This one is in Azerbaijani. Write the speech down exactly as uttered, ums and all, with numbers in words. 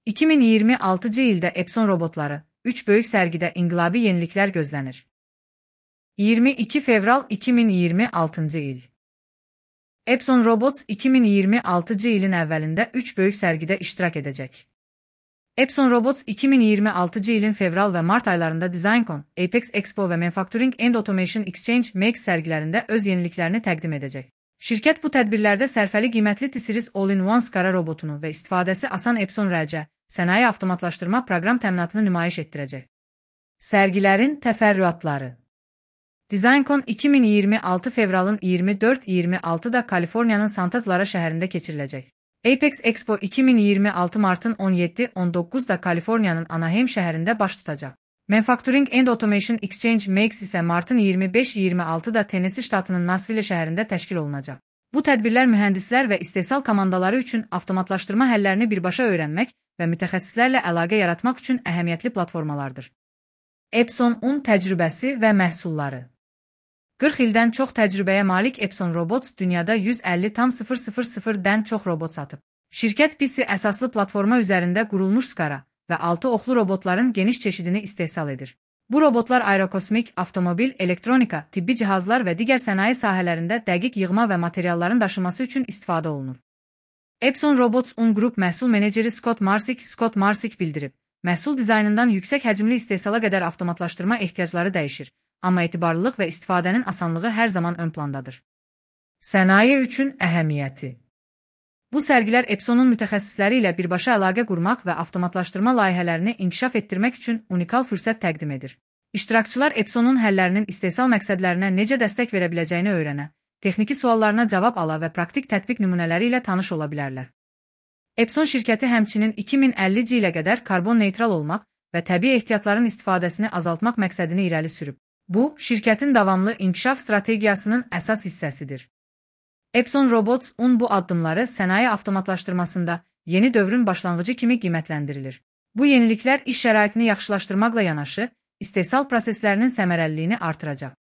iki min iyirmi altıncı ildə Epson robotları, üç böyük sərgidə inqilabi yeniliklər gözlənir. iyirmi iki fevral iki min iyirmi altıncı il. Epson Robots iki min iyirmi altıncı ilin əvvəlində üç böyük sərgidə iştirak edəcək. Epson Robots iki min iyirmi altıncı ilin fevral və mart aylarında DesignCon, Apex Expo və Manufacturing and Automation Exchange M E X sərgilərində öz yeniliklərini təqdim edəcək. Şirkət bu tədbirlərdə sərfəli qiymətli T-Series All-in-One SCARA robotunu və istifadəsi asan Epson rəlcə, sənaye avtomatlaşdırma proqram təminatını nümayiş etdirəcək. Sərgilərin təfərrüatları. DesignCon iki min iyirmi altı fevralın iyirmi dörd iyirmi altıda Kaliforniyanın Santa Clara şəhərində keçiriləcək. Apex Expo iki min iyirmi altı martın on yeddi on doqquzda Kaliforniyanın Anaheim şəhərində baş tutacaq. Manufacturing and Automation Exchange M E X isə martın iyirmi beş iyirmi altıda Tennessee ştatının Nashville şəhərində təşkil olunacaq. Bu tədbirlər mühəndislər və istehsal komandaları üçün avtomatlaşdırma həllərini birbaşa öyrənmək və mütəxəssislərlə əlaqə yaratmaq üçün əhəmiyyətli platformalardır. Epson un təcrübəsi və məhsulları. qırx ildən çox təcrübəyə malik Epson Robots dünyada yüz əlli min çox robot satıb. Şirkət P C əsaslı platforma üzərində qurulmuş SCARA və altı oxlu robotların geniş çeşidini istehsal edir. Bu robotlar aerokosmik, avtomobil, elektronika, tibbi cihazlar və digər sənaye sahələrində dəqiq yığma və materialların daşıması üçün istifadə olunur. Epson Robots Un Group məhsul meneceri Scott Marsik Scott Marsik bildirib, məhsul dizaynından yüksək həcmli istehsala qədər avtomatlaşdırma ehtiyacları dəyişir, amma etibarlılıq və istifadənin asanlığı hər zaman ön plandadır. Sənaye üçün əhəmiyyəti. Bu sərgilər Epsonun mütəxəssisləri ilə birbaşa əlaqə qurmaq və avtomatlaşdırma layihələrini inkişaf etdirmək üçün unikal fürsət təqdim edir. İştirakçılar Epsonun həllərinin istehsal məqsədlərinə necə dəstək verə biləcəyini öyrənə, texniki suallarına cavab ala və praktik tətbiq nümunələri ilə tanış ola bilərlər. Epson şirkəti həmçinin iki min əllinci ilə qədər karbon neytral olmaq və təbii ehtiyatların istifadəsini azaltmaq məqsədini irəli sürüb. Bu, şirkətin davamlı inkişaf strategiyasının əsas hissəsidir. Epson Robots Un bu addımları sənaye avtomatlaşdırmasında yeni dövrün başlanğıcı kimi qiymətləndirilir. Bu yeniliklər iş şəraitini yaxşılaşdırmaqla yanaşı, istehsal proseslərinin səmərəliliyini artıracaq.